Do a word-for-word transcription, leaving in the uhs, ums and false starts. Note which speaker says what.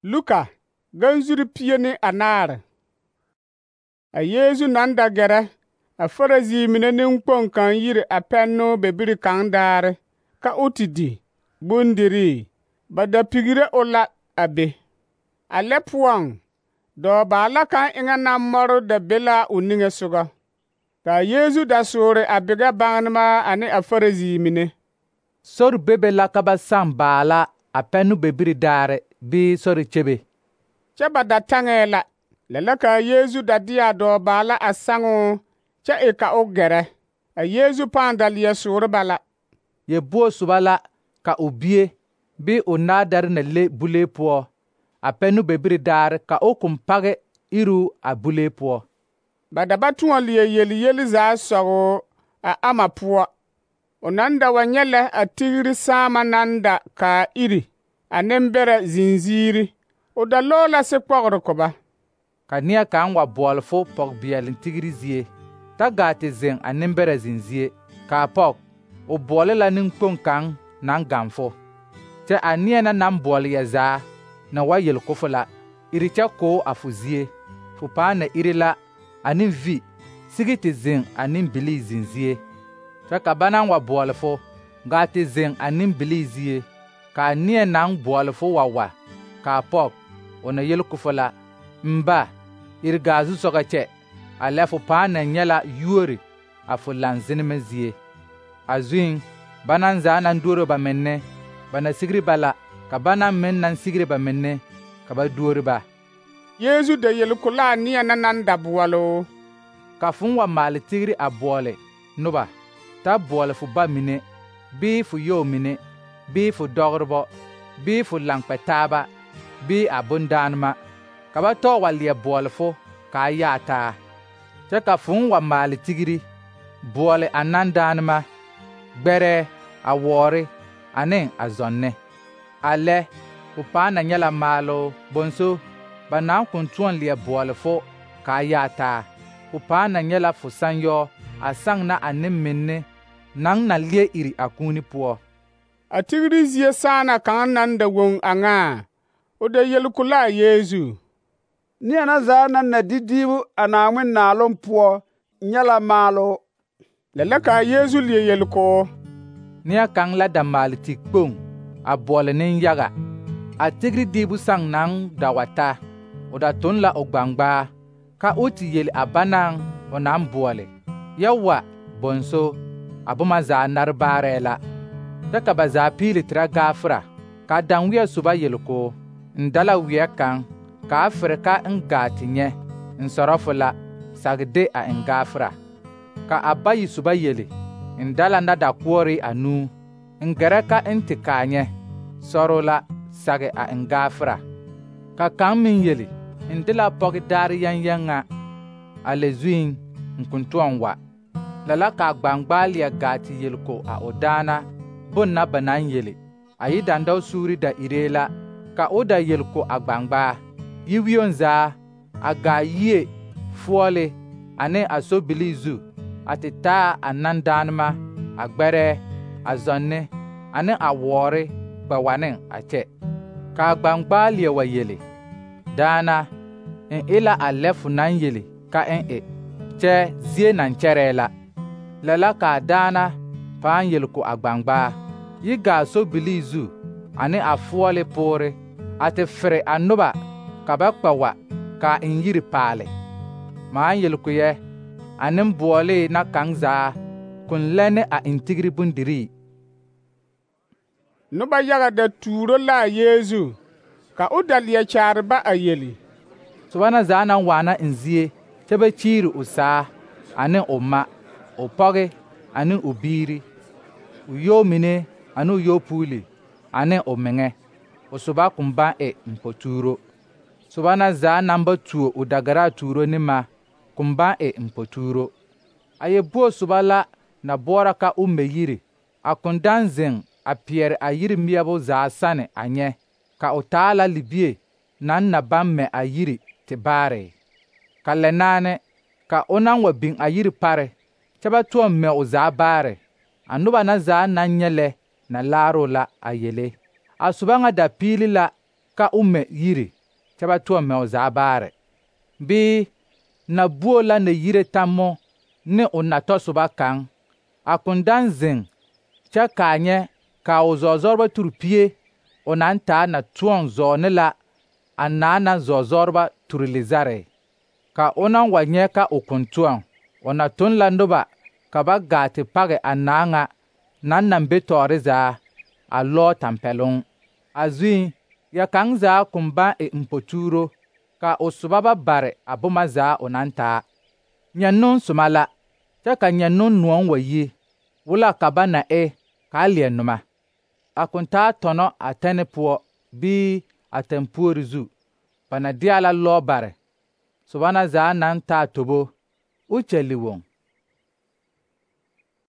Speaker 1: Luka ganzuri pie ne anaare. A Yeezu naŋ da gɛrɛ a Farisii mine nenkpoŋ kaŋ yiri a pɛnnoo bebiri kaŋ daare ka o te di bondirii, ba da pigire o la a be. A lɛ poɔŋ dɔɔbaala kaŋ eŋɛ naŋ mɔre da be la o niŋe sogɔ. Ka a Yeezu da soore a bigɛ baŋnema ane a Farisii mine.
Speaker 2: Sori bebe la ka ba saŋ baala a pɛnno bebiri daare bii sori kyebe.
Speaker 1: Kyɛ ba da taŋɛɛ la. Lɛ la ka a Yeezu da de a dɔɔbaala a saŋoo kyɛ e ka o gɛrɛ. A Yeezu pãã da leɛ soore ba la.
Speaker 2: Yebuo soba la ka o bie bii o naadare na le bulee poɔ a pɛnno bebiri daare ka o koŋ page iruu a bulee poɔ.
Speaker 1: Ba da ba tõɔ leɛ yeli yeli zaa sɔgoo a ama poɔ. O naŋ da wa nyɛ lɛ a tigiri saama naŋ da kaa iri a nembɛrɛ zinziiri, o da lɔɔ la sekpɔgere ko ba.
Speaker 2: Ka neɛ kaŋ wa bɔɔle fo pɔge-beɛle tigiri zie, ta gaa te zeŋ a nembɛrɛ zenzie, kaa pɔge, o bɔɔle la nenkpoŋ kaŋ naŋ gaŋ fo. Kyɛ a neɛ na naŋ bɔɔle ya zaa na wa yel ko fo la, iri kyɛ koo a fo zie, fo pãã na iri la ane vi sigi te zeŋ a nembilii zenzie. Kyɛ ka ba naŋ wa bɔɔle fo, gaa te zeŋ a nembilii zie, kaa neɛ naŋ bɔɔle fo wa wa, kaa pɔge, o na yel ko fo la, mba, iri gaa zusɔgɔ kyɛ, a lɛ fo pãã na nyɛ la yuori a fo lanzenema zie. A zuiŋ, ba naŋ zaa naŋ duoro ba menne, ba na sigiri ba la, ka ba naŋ meŋ naŋ sigire ba menne, ka ba duori ba.
Speaker 1: Yeezu da yel ko la a neɛ na naŋ da boɔloo.
Speaker 2: Ka fo wa maale tigiri a bɔɔle noba, ta bɔɔle fo ba mine, bii fo yɔɔ mine, bii fo dɔgerebɔ, bii fo laŋkpɛ-taaba, bii a bondaanema, ka ba tɔɔ wa leɛ bɔɔle fo kaa yaa taa. Kyɛ ka fo wa maale tigiri, bɔɔle a nandaanema, gbɛrɛɛ, a wɔɔre, ane a zɔnne. A lɛ, fo pãã na nyɛ la maaloo bonso ba naŋ kõn tõɔ leɛ bɔɔle fo kaa yaa taa. Fo pãã na nyɛ la fo sanyɔɔ a saŋ na a nemmenne naŋ na leɛ iri a kũuni poɔ.
Speaker 1: A tigiri zie saana kaŋ naŋ da woŋ a ŋaa, o da yel ko la a Yeezu. Neɛ na zaa naŋ na di diibu a Naaŋmen naaloŋ poɔ nyɛ la maaloo. Lɛ la ka a Yeezu leɛ yel ko,
Speaker 2: neɛ kaŋ la da maale tikpoŋ a bɔɔle nenyaga. A tigiri diibu saŋ naŋ da wa ta, o da toŋ la o gbaŋgbaa, ka o te yeli a banaŋ o naŋ bɔɔle, yɛ wa bonso, a boma zaa nare baarɛɛ la. Kyɛ ka ba zaa piili terɛ gaafera, ka daŋweɛ soba yel ko, n da la weɛ kaŋ, kaa fere ka n gaa te nyɛ, n sɔrɔ fo la, sage de a n gaafera. Ka a bayi soba yeli, n da la nadakoɔre anuu, n gɛrɛ ka n te kaa nyɛ, sɔrɔ la, sage a n gaafera. Ka kaŋ meŋ yeli, n de la pɔge daare yɛŋyɛŋa, a lɛ zuiŋ, n kõn tõɔ wa. Lɛ la ka a gbaŋgbaa leɛ gaa te yel ko a o daana bon na ba naŋ yeli, a yi dandɔɔ suuri da iree la, ka o da yel ko a gbaŋgbaa, yiwioŋ zaa, a gaa yie, foɔle, ane a sobilii zu, a te taa a nandaanema, a gbɛrɛɛ, a zɔnne, ane a wɔɔre kpɛ wa ne a kyɛ. Ka a gbaŋgbaa leɛ wa yeli, daana, n e la a lɛ fo naŋ yeli ka n e, kyɛ zie naŋ kyɛrɛɛ la. Lɛ la ka a daana pãã yel ko a gbaŋgbaa, yi gaa sobilii zu, ane a foɔle poore, a te fere a noba ka ba kpɛ wa ka n yiri paale. Maan yel ko yɛ, a nembɔɔlee na kaŋ zaa kõn lɛ ne a n tigiri bondirii. Noba
Speaker 1: yaga da tuuro la a Yeezu, ka o da leɛ kyaare ba a yeli.
Speaker 2: Soba na zaa naŋ waana n zie, kyɛ ba kyiiri o saa, ane o ma, o pɔge, ane o biiri, o yɔɔ mine, ane o yɔɔpuuli, ane o meŋɛ. O soba kõn baŋ e mpotuuro. Soba na zaa naŋ ba tuo o dagaraa tuuro ne ma, kõn baŋ e mpotuuro. A yebuo soba la na boɔra ka o mɛ yiri, a kõn daŋ zeŋ a peɛre a yiri meɛbo zaa sane a nyɛ, ka o taa la libie naŋ na baŋ mɛ a yiri te baare. Ka lɛ naane, ka o naŋ wa biŋ a yiri pare, kyɛ ba tɔɔ mɛ o zaa baare, a noba na zaa naŋ nyɛ lɛ na laaroo la a yele. A soba ŋa da piili la ka o mɛ yiri kyɛ ba tʋɔ mɛ o zaa baare. Bɩ nabuo la na yire tammo ne o natɔsoba kaŋ, a kõn daŋ zeŋ kyɛ kaa nyɛ ka o zɔɔzɔreba turi pie o naŋ taa na tʋɔŋ zɔɔ ne la a naa na zɔɔzɔreba turi lizare. Ka o naŋ wa nyɛ ka o kõn tʋɔŋ, o na tʋŋ la noba ka ba gaa te page a naa ŋa naŋ naŋ be tɔɔre zaa a lɔɔ tampɛloŋ. A zuŋ, ya kaŋ zaa kõn baŋ e mpotuuro, ka o sobaba bare a boma zaa o naŋ taa. Nyɛnnoŋ soma la, kyɛ ka nyɛnnoŋ noɔŋ wa yi, wʋla ka ba na e kaa leɛ noma. A kõn taa tɔnɔ a tɛne poɔ bii a tɛmpuori zu, ba na deɛ la lɔɔ bare, soba na zaa naŋ taa tobo, o kyɛli woŋ.